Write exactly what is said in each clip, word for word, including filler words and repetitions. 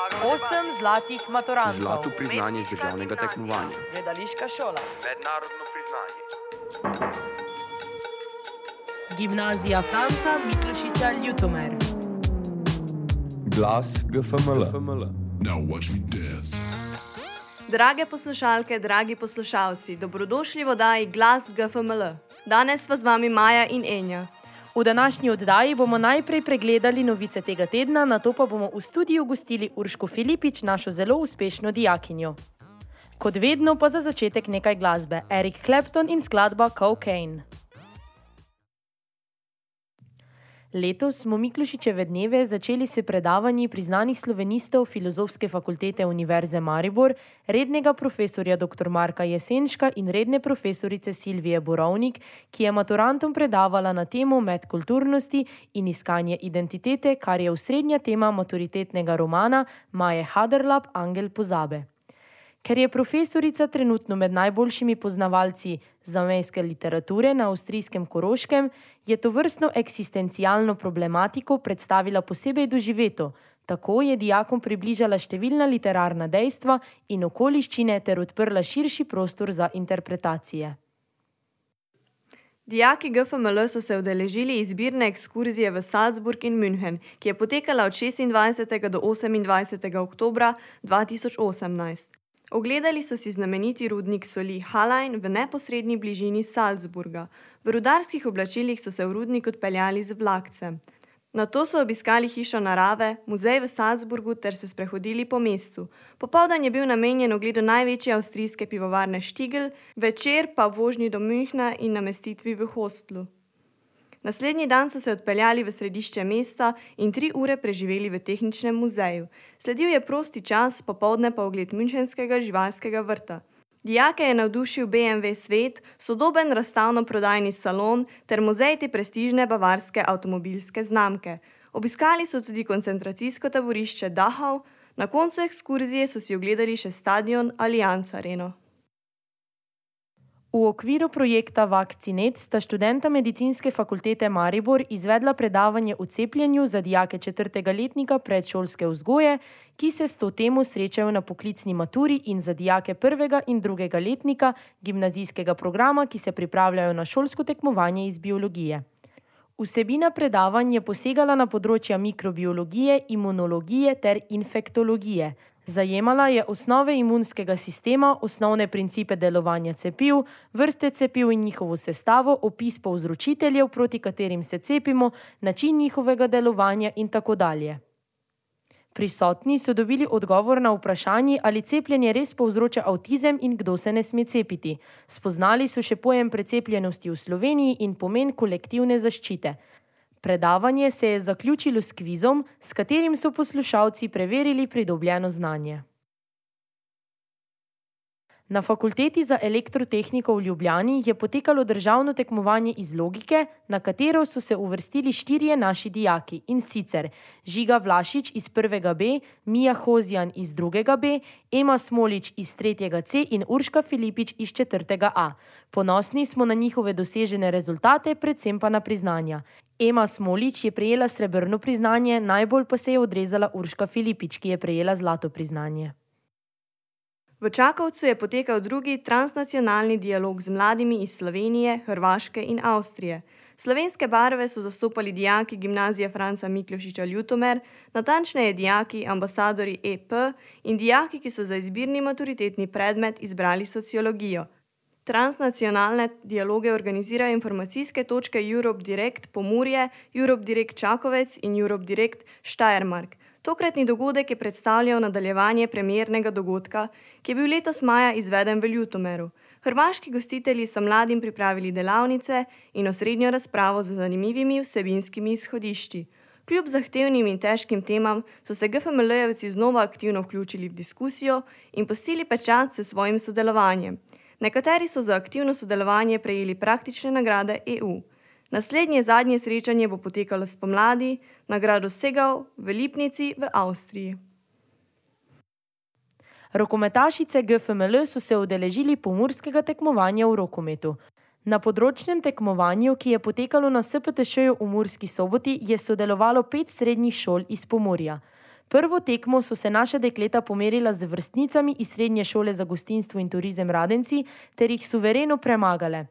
Osem zlatih maturantov. Zlato priznanje z državnega tekmovanja. Gledališka šola. Mednarodno priznanje. Gimnazija Franca Miklošiča Ljutomer. Glas G F M L. Now watch me dance. Drage poslušalke, dragi poslušalci, dobrodošli v oddaji Glas G F M L. Danes sva z vami Maja in Enja. V današnji oddaji bomo najprej pregledali novice tega tedna, nato pa bomo v studiu gostili Urško Filipič, našo zelo uspešno dijakinjo. Kot vedno pa za začetek nekaj glasbe. Eric Clapton in skladba Cocaine. Letos smo Miklošičeve dneve začeli s predavanji priznanih slovenistov Filozofske fakultete Univerze Maribor, rednega profesorja dr. Marka Jesenška in redne profesorice Silvije Borovnik, ki je maturantom predavala na temo medkulturnosti in iskanje identitete, kar je osrednja tema maturitetnega romana Maje Haderlap Angel pozabe. Ker je profesorica trenutno med najboljšimi poznavalci zamejske literature na avstrijskem Koroškem, je tovrstno eksistencialno problematiko predstavila posebej doživeto, tako je dijakom približala številna literarna dejstva in okoliščine ter odprla širši prostor za interpretacije. Dijaki G F M L so se udeležili izbirne ekskurzije v Salzburg in München, ki je potekala od šestindvajsetega do osemindvajsetega oktobra dva tisoč osemnajst. Ogledali so si znameniti rudnik soli Hallein v neposrednji bližini Salzburga. V rudarskih oblačilih so se v rudnik odpeljali z vlakcem. Nato so obiskali hišo narave, muzej v Salzburgu ter se sprehodili po mestu. Popoldan je bil namenjen ogledu največje avstrijske pivovarne Stiegl, večer pa vožnji do Münchna in namestitvi v hostlu. Naslednji dan so se odpeljali v središče mesta in tri ure preživeli v tehničnem muzeju. Sledil je prosti čas, popoldne pa ogled münchenskega živalskega vrta. Dijake je navdušil B M W svet, sodoben razstavno-prodajni salon ter muzej te prestižne bavarske avtomobilske znamke. Obiskali so tudi koncentracijsko taborišče Dachau, na koncu ekskurzije so si ogledali še stadion Allianz Areno. V okviru projekta Vakcinet sta študenta medicinske fakultete Maribor izvedla predavanje o cepljenju za dijake četrtega letnika predšolske vzgoje, ki se s to temo srečajo na poklicni maturi, in za dijake prvega in drugega letnika gimnazijskega programa, ki se pripravljajo na šolsko tekmovanje iz biologije. Vsebina predavanj je posegala na področja mikrobiologije, imunologije ter infektologije. Zajemala je osnove imunskega sistema, osnovne principe delovanja cepiv, vrste cepiv in njihovo sestavo, opis povzročiteljev, proti katerim se cepimo, način njihovega delovanja in tako dalje. Prisotni so dobili odgovor na vprašanje, ali cepljenje res povzroča avtizem in kdo se ne sme cepiti. Spoznali so še pojem precepljenosti v Sloveniji in pomen kolektivne zaščite. Predavanje se je zaključilo s kvizom, s katerim so poslušalci preverili pridobljeno znanje. Na Fakulteti za elektrotehniko v Ljubljani je potekalo državno tekmovanje iz logike, na katero so se uvrstili štirje naši dijaki, in sicer Žiga Vlašič iz prvega B, Mija Hozjan iz drugega B, Ema Smolič iz tretjega C in Urška Filipič iz četrtega A. Ponosni smo na njihove dosežene rezultate, predvsem pa na priznanja. Ema Smolič je prejela srebrno priznanje, najbolj pa se je odrezala Urška Filipič, ki je prejela zlato priznanje. V Čakovcu je potekal drugi transnacionalni dialog z mladimi iz Slovenije, Hrvaške in Avstrije. Slovenske barve so zastopali dijaki Gimnazije Franca Miklošiča Ljutomer, natančneje dijaki ambasadori E P in dijaki, ki so za izbirni maturitetni predmet izbrali sociologijo. Transnacionalne dialoge organizirajo informacijske točke Europe Direct Pomurje, Europe Direct Čakovec in Europe Direct Steiermark. Tokratni dogodek je predstavljal nadaljevanje premiernega dogodka, ki je bil letos maja izveden v Ljutomeru. Hrvaški gostitelji so mladim pripravili delavnice in osrednjo razpravo z zanimivimi vsebinskimi izhodišči. Kljub zahtevnim in težkim temam so se G F M L-jevci znova aktivno vključili v diskusijo in pustili pečat s svojim sodelovanjem. Nekateri so za aktivno sodelovanje prejeli praktične nagrade E U. Naslednje zadnje srečanje bo potekalo spomladi na gradu Segau v Lipnici v Avstriji. Rokometašice G F M L so se udeležili pomurskega tekmovanja v rokometu. Na področnem tekmovanju, ki je potekalo na S P T Š-ju v Murski Soboti, je sodelovalo pet srednjih šol iz Pomurja. Prvo tekmo so se naša dekleta pomerila z vrstnicami iz Srednje šole za gostinstvo in turizem Radenci ter jih suvereno premagale.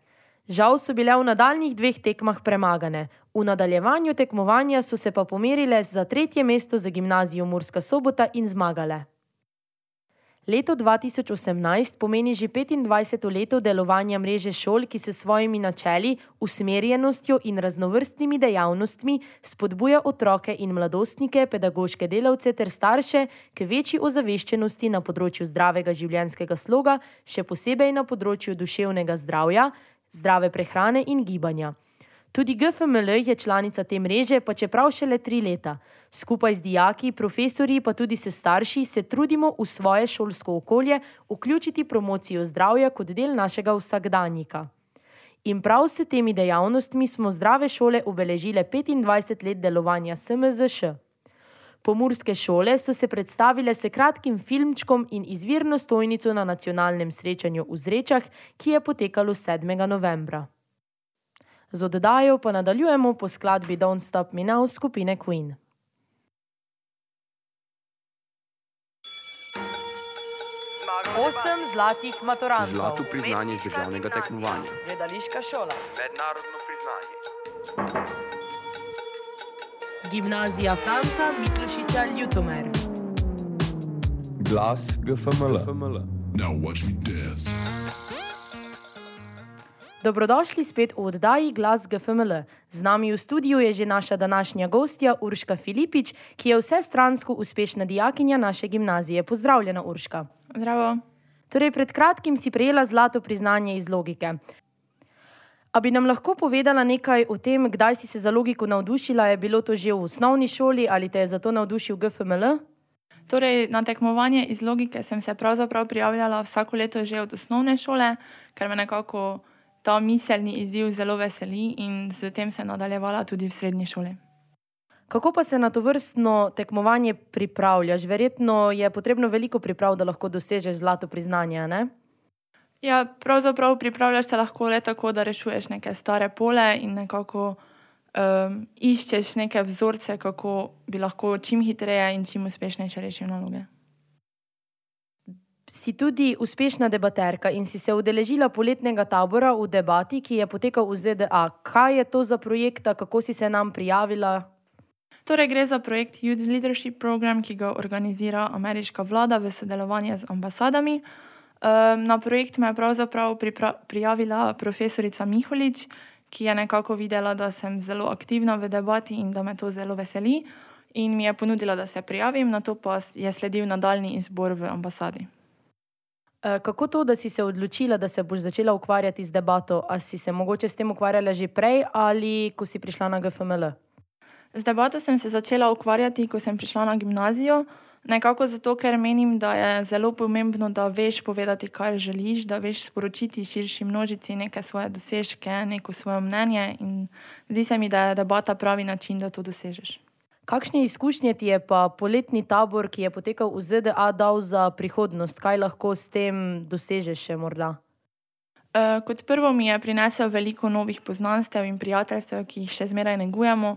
Žal so bile v nadaljnjih dveh tekmah premagane. V nadaljevanju tekmovanja so se pa pomerile za tretje mesto za gimnazijo Murska Sobota in zmagale. Leto dva tisoč osemnajst pomeni že petindvajseto leto delovanja mreže šol, ki se svojimi načeli, usmerjenostjo in raznovrstnimi dejavnostmi spodbuja otroke in mladostnike, pedagoške delavce ter starše k večji ozaveščenosti na področju zdravega življenjskega sloga, še posebej na področju duševnega zdravja, zdrave prehrane in gibanja. Tudi G F M L je članica te mreže, pa čeprav šele tri leta. Skupaj z dijaki, profesorji pa tudi s starši se trudimo v svoje šolsko okolje vključiti promocijo zdravja kot del našega vsakdanjika. In prav s temi dejavnostmi smo zdrave šole obeležile petindvajset let delovanja S M Z Š. Pomurske šole so se predstavile s kratkim filmčkom in izvirno stojnico na nacionalnem srečanju v Zrečah, ki je potekalo sedmega novembra. Z oddajo pa nadaljujemo po skladbi Don't Stop Me Now skupine Queen. Osem zlatih maturantov. Zlato priznanje z državnega tekmovanja. Gledališka šola. Mednarodno priznanje. Gimnazija Franca Miklošiča Ljutomer. Glas G F M L. Now watch me dance. Dobrodošli spet v oddaji Glas G F M L. Z nami v studiu je že naša današnja gostja Urška Filipič, ki je vsestransko uspešna dijakinja naše gimnazije. Pozdravljena, Urška. Zdravo. Torej, pred kratkim si prejela zlato priznanje iz logike. A bi nam lahko povedala nekaj o tem, kdaj si se za logiko navdušila? Je bilo to že v osnovni šoli ali te je zato navdušil G F M L? Torej, na tekmovanje iz logike sem se pravzaprav prijavljala vsako leto že od osnovne šole, ker me nekako ta miselni izziv zelo veseli in z tem se nadaljevala tudi v srednji šoli. Kako pa se na to vrstno tekmovanje pripravljaš? Verjetno je potrebno veliko priprav, da lahko dosežeš zlato priznanje, ne? Ja, pravzaprav pripravljaš se lahko le tako, da rešuješ neke stare pole in nekako um, iščeš neke vzorce, kako bi lahko čim hitreje in čim uspešnejše rešil naloge. Si tudi uspešna debaterka in si se udeležila poletnega tabora v debati, ki je potekal v Z D A. Kaj je to za projekt, kako si se nam prijavila? Torej, gre za projekt Youth Leadership Program, ki ga organizira ameriška vlada v sodelovanju z ambasadami. Na projekt me je pravzaprav prijavila profesorica Miholič, ki je nekako videla, da sem zelo aktivna v debati in da me to zelo veseli in mi je ponudila, da se prijavim, nato pa je sledil nadaljni izbor v ambasadi. Kako to, da si se odločila, da se boš začela ukvarjati z debato? A si se mogoče s tem ukvarjala že prej ali ko si prišla na G F M L? Z debato sem se začela ukvarjati, ko sem prišla na gimnazijo, nekako zato, ker menim, da je zelo pomembno, da veš povedati, kar želiš, da veš sporočiti širši množici neke svoje dosežke, neko svoje mnenje in zdi se mi, da je debata pravi način, da to dosežeš. Kakšne izkušnje ti je pa poletni tabor, ki je potekal v Z D A, dal za prihodnost? Kaj lahko s tem dosežeš še morda? Uh, kot prvo mi je prinesel veliko novih poznanstev in prijateljstev, ki jih še zmeraj negujemo.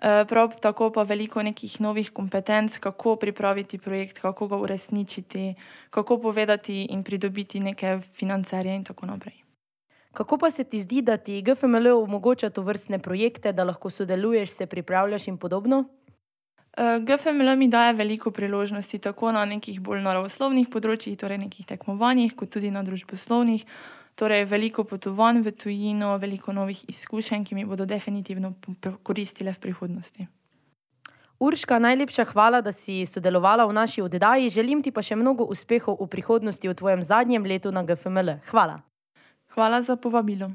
Uh, prav tako pa veliko nekih novih kompetenc, kako pripraviti projekt, kako ga uresničiti, kako povedati in pridobiti neke financerje in tako naprej. Kako pa se ti zdi, da ti G F M L omogoča to vrstne projekte, da lahko sodeluješ, se pripravljaš in podobno? G F M L mi daje veliko priložnosti, tako na nekih bolj naravoslovnih področjih, torej nekih tekmovanjih, kot tudi na družboslovnih. Torej veliko potovanj v tujino, veliko novih izkušenj, ki mi bodo definitivno koristile v prihodnosti. Urška, najlepša hvala, da si sodelovala v naši oddaji. Želim ti pa še mnogo uspehov v prihodnosti v tvojem zadnjem letu na G F M L. Hvala. Hvala za povabilo.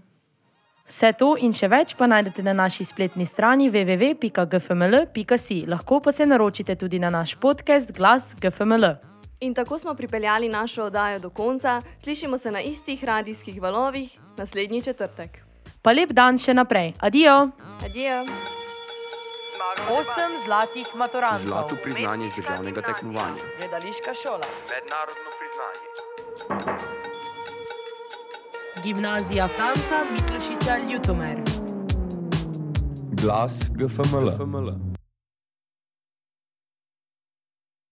Vse to in še več pa najdete na naši spletni strani w w w pika g f m l pika si. Lahko pa se naročite tudi na naš podcast Glas G F M L. In tako smo pripeljali našo oddajo do konca. Slišimo se na istih radijskih valovih naslednji četrtek. Pa lep dan še naprej. Adijo. Adijo. Osem zlatih maturantov. Zlato priznanje z državnega tekmovanja. Gledališka šola. Mednarodno priznanje. Gimnazija Franca Miklošiča Ljutomer. Glas G F M L.